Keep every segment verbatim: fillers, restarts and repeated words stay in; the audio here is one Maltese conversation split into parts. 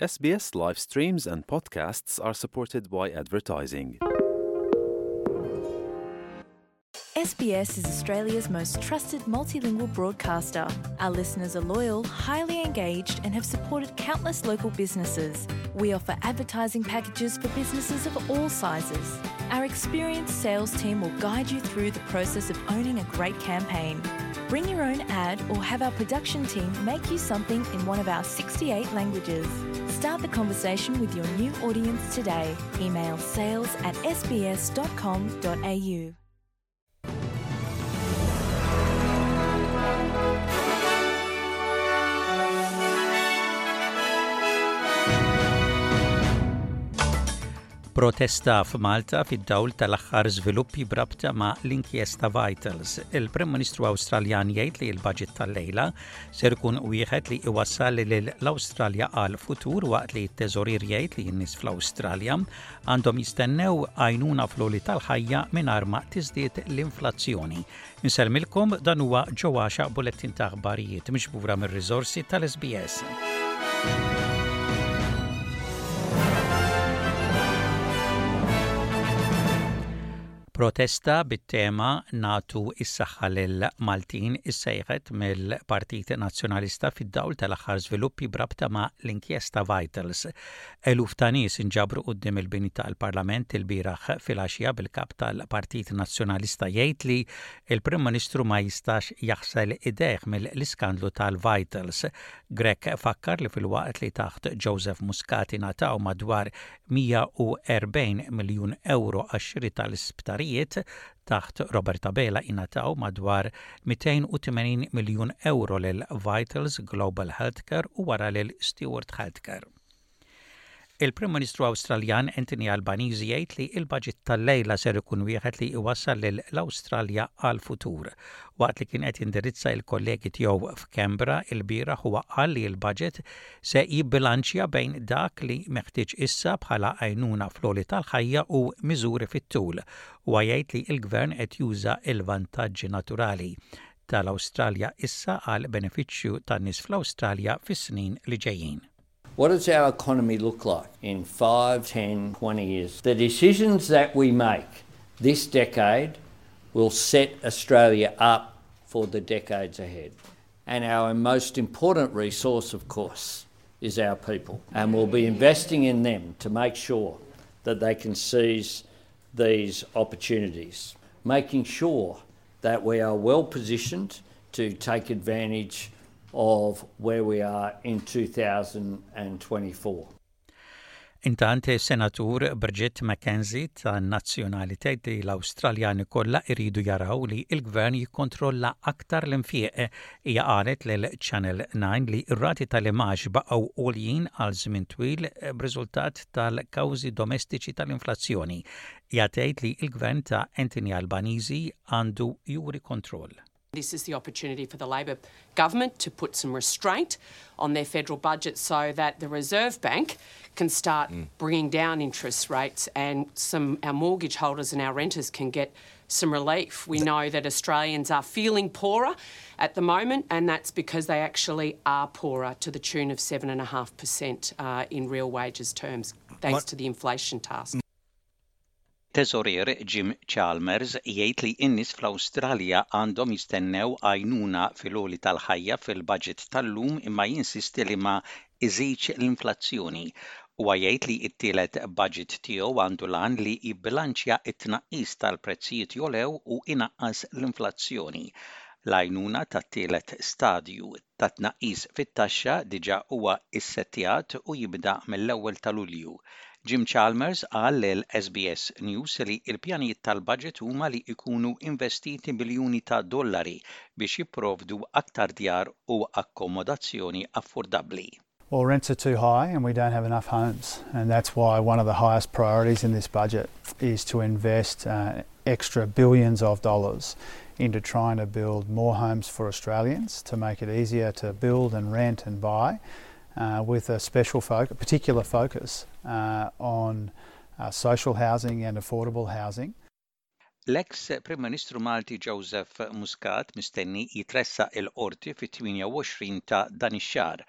S B S live streams and podcasts are supported by advertising. S B S is Australia's most trusted multilingual broadcaster. Our listeners are loyal, highly engaged, and have supported countless local businesses. We offer advertising packages for businesses of all sizes. Our experienced sales team will guide you through the process of owning a great campaign. Bring your own ad or have our production team make you something in one of our sixty-eight languages. Start the conversation with your new audience today. Email sales at S B S dot com dot A U. Protesta f'Malta fid-dawl tal-aħħar żviluppi b'rabta ma' l-inkjesta Vitals. Il-Prim Ministru Awstraljan jgħid li l-budget tal-lejla ser ikun wieħed li iwassal lil l-Awstralja għal futur, waqt li t-teżorier jgħid li n-nies fl-Awstralja għandhom jistennew għajnuna fl-għoli tal-ħajja mingħajr ma tiżdied l-inflazzjoni. Insellmilkom, dan huwa ġewwaxa bulettin ta' aħbarijiet miġbura mir-riżorsi tal-S B S. Protesta bit-tema "Nagħtu is-saħħa lil Maltin" issejħet mill-Partit Nazzjonalista fid-dawl tal-aħħar żviluppi b'rabta ma' l-inkjesta Vitals. Eluf ta' nies inġabru quddiem il-bini tal-Parlament il-bieraħ filgħaxija, bil-kap tal-Partit Nazzjonalista jgħid li il-Prim Ministru ma jistax jaħsel idejh mill-iskandlu tal-Vitals. Grech fakkar li filwaqt li taħt Joseph Muscat ingħataw madwar mija u erbgħin miljun euro għax-xiri tal-isptarijiet, taħt Robert Abela ingħataw madwar mitejn u tmenin miljun euro lil Vitals Global Healthcare u wara lil Steward Healthcare. Il-Prim Ministru Awstraljan Anthony Albanese jgħid li il-budget tal-lejla ser ikun wieħed li iwassal lil l-Awstralja għal futur. Waqt li kien qed jindirizza il-kollegi tiegħu f'Canberra il-bieraħ, huwa qal li l-budget se jibbilanċja bejn dak li meħtieġ issa bħala għajnuna fl-għoli tal-ħajja u miżuri fit-tul. U jgħid li l-gvern qed juża il-vantaġġi naturali tal-Awstralja issa għal benefiċċju tan-nies fl-Awstralja fis-snin li ġejjin. What does our economy look like in five, ten, twenty years? The decisions that we make this decade will set Australia up for the decades ahead. And our most important resource, of course, is our people. And we'll be investing in them to make sure that they can seize these opportunities, making sure that we are well positioned to take advantage of where we are in twenty twenty-four. Intant, Senatur Bridget McKenzie tan-Nazzjonali tgħid li l-Awstraljani kollha iridu jaraw li l-gvern jikkontrolla aktar l-infieq. Hija qalet lil Channel nine li r-rati tal-imgħax baqgħu għoljin għal żmien twil b'riżultat tal-kawżi domestiċi tal-inflazzjoni. Hija tgħid li l-gvern ta' Anthony Albanese għandu juri kontroll. This is the opportunity for the Labor government to put some restraint on their federal budget so that the Reserve Bank can start mm. bringing down interest rates and some our mortgage holders and our renters can get some relief. We know that Australians are feeling poorer at the moment, and that's because they actually are poorer to the tune of seven point five percent uh, in real wages terms, thanks what? to the inflation task. Teżorier Jim Chalmers jgħid li n-nies fl-Awstralja għandhom jistennew għajnuna fil-għoli tal-ħajja fil-budget tal-lum, imma jinsisti li ma iżidx l-inflazzjoni. Huwa jgħid li t-tielet budget tiegħu għandu l-għan li jibbilanċja t-tnaqqis tal-prezzijiet jogħlew u inaqqas l-inflazzjoni. L-għajnuna tat-tielet stadju ta' tnaqqis fit-taxxa diġà huwa issettjat u jibda mill-ewwel ta' Lulju. Jim Chalmers qal lil S B S News li l-pjanijiet tal-budget huma li jkunu investiti biljuni ta' dollari biex jipprovdu aktar djar u akkomodazzjoni affordabbli. Well, rents are too high and we don't have enough homes. And that's why one of the highest priorities in this budget is to invest uh, extra billions of dollars into trying to build more homes for Australians, to make it easier to build and rent and buy, uh, with a special focus, particular focus uh, on uh, social housing and affordable housing. L-ex Prim Ministru Malti Joseph Muscat mistenni jitressaq il-qorti fit-tmienja u għoxrin ta' dan ix-xahar.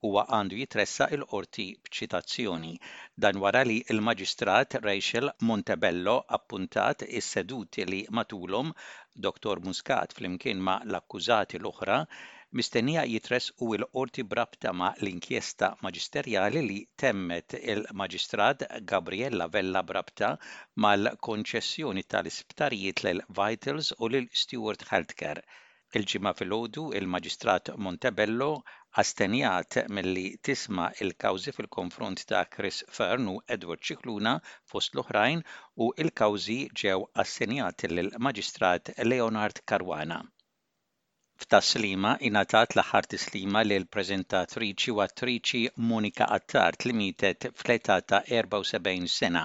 Huwa għandu jitressaq il-qorti b'ċitazzjoni. Dan wara li l-Maġistrat Rachel Montebello appuntat is-seduti li matulhom Dottor Muscat flimkien ma' l-akkużati l-oħra mistennija jitressqu l-qorti b'rabta ma' l-inkjesta maġisterjali li temmet il-Maġistrat Gabriella Vella b'rabta mal-konċessjoni tal-isptarijiet lil Vitals u lil Steward Healthcare. Il-Ġimgħa filgħodu il-Maġistrat Montebello astenjat milli tisma' il-kawżi fil-konfront ta' Chris Fearne u Edward Scicluna fost l-oħrajn u l-kawżi ġew assenjati lill-Maġistrat Leonard Caruana. F'Tas-Sliema ingħatat l-aħħar tislima lil preżentatriċi u attriċi Monica Attard li mietet fl-età ta' erbgħa u sebgħin sena.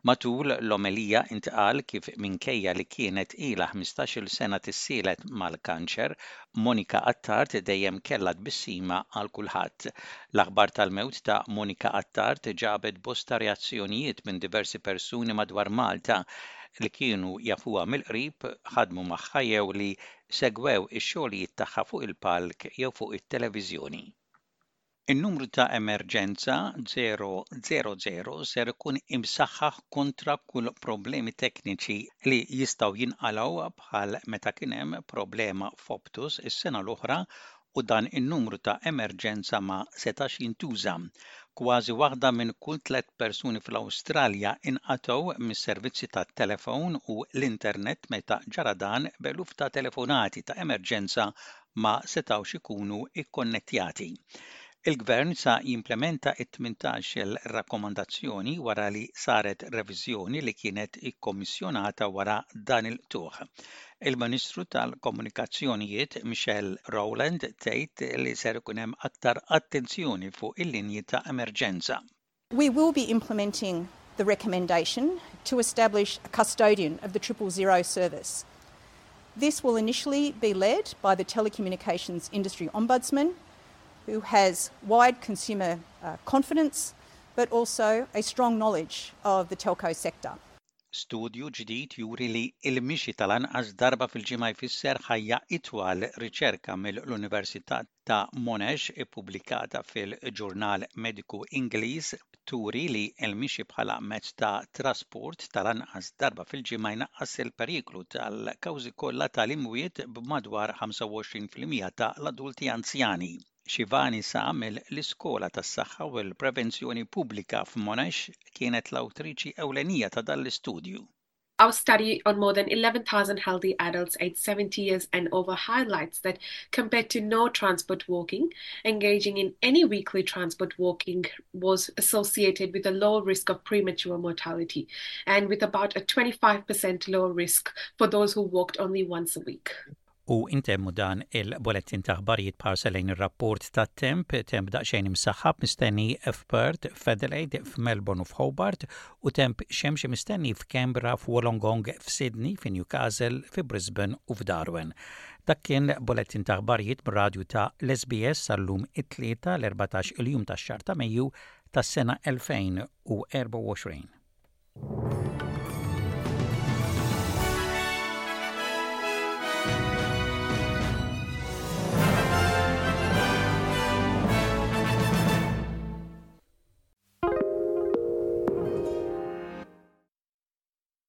Matul l-omelija intqal kif minkejja li kienet ilha ħmistax-il sena tissielet mal-kanċer, Monica Attard dejjem kellha tbissima għal kulħadd. L-aħbar tal-mewt ta' Monica Attard ġabet bosta reazzjonijiet minn diversi persuni madwar Malta li kienu jafuha mill-qrib, ħadmu magħha jew li segwew ix-xogħlijiet tagħha fuq il-palk jew fuq it-televiżjoni. In-numru ta' emerġenza żero żero żero ser ikun imsaħħaħ kontra kull problemi tekniċi li jistgħu jinqalgħu bħal meta kien hemm problema f'Optus is-sena l-oħra u dan in-numru ta' emerġenza ma setax jintuża. Kważi waħda minn kull tliet persuni fl-Awstralja inqatgħu mis-servizzi tat-telefon u l-internet meta ġara dan, b'eluf ta' telefonati ta' emerġenza ma setgħux ikunu ikkonnettjati. Il-Gvern sa jimplementa it-tmintax-il rakkomandazzjoni wara li saret reviżjoni li kienet ikkommissjonata wara dan il-qtugħ. Il-Ministru tal-Komunikazzjonijiet Michelle Rowland tgħid li ser ikun hemm aktar attenzjoni fuq il-linji ta' emerġenza. We will be implementing the recommendation to establish a custodian of the triple zero service. This will initially be led by the Telecommunications Industry Ombudsman, who has wide consumer uh, confidence but also a strong knowledge of the telco sector. Studju ġdid juri li il-mixi tal-anqas darba fil-ġimgħa jfisser ħajja itwal. Riċerka mill-Università ta' Monash ippubblikata fil-Ġurnal Mediku Ingliż turi li l-mixi bħala mezz ta' trasport tal-anqas darba fil-ġimgħa jnaqqas il-periklu tal-kawżi kollha tal-imwiet b'madwar ħamsa u għoxrin fil-mija ta' l-adulti anzjani. Shivani Sah mill-Iskola tas-Saħħa u l-Prevenzjoni Pubblika f'Monash kienet l-awtriċi ewlenija ta' dan l-istudju. Our study on more than eleven thousand healthy adults aged seventy years and over highlights that compared to no transport walking, engaging in any weekly transport walking was associated with a lower risk of premature mortality and with about a twenty-five percent lower risk for those who walked only once a week. U intemmu dan il-bulletin ta' aħbarijiet b'ħarsa lejn ir-rapport ta' temp: temp daqsxejn imsaħħab mistenni f'Perth, f'Adelaide, f'Melbourne u f'Hobart u temp xemxi mistenni f'Canberra, f'Wollongong, f'Sydney, f'Newcastle, f'Brisbane u f'Darwin. Dak kien bulletin ta' aħbarijiet mir-radju ta' l-S B S sal-lum it-Tlieta l-erbatax il-jum tax-xahar ta' Mejju tas-sena elfejn u erbgħa u għoxrin.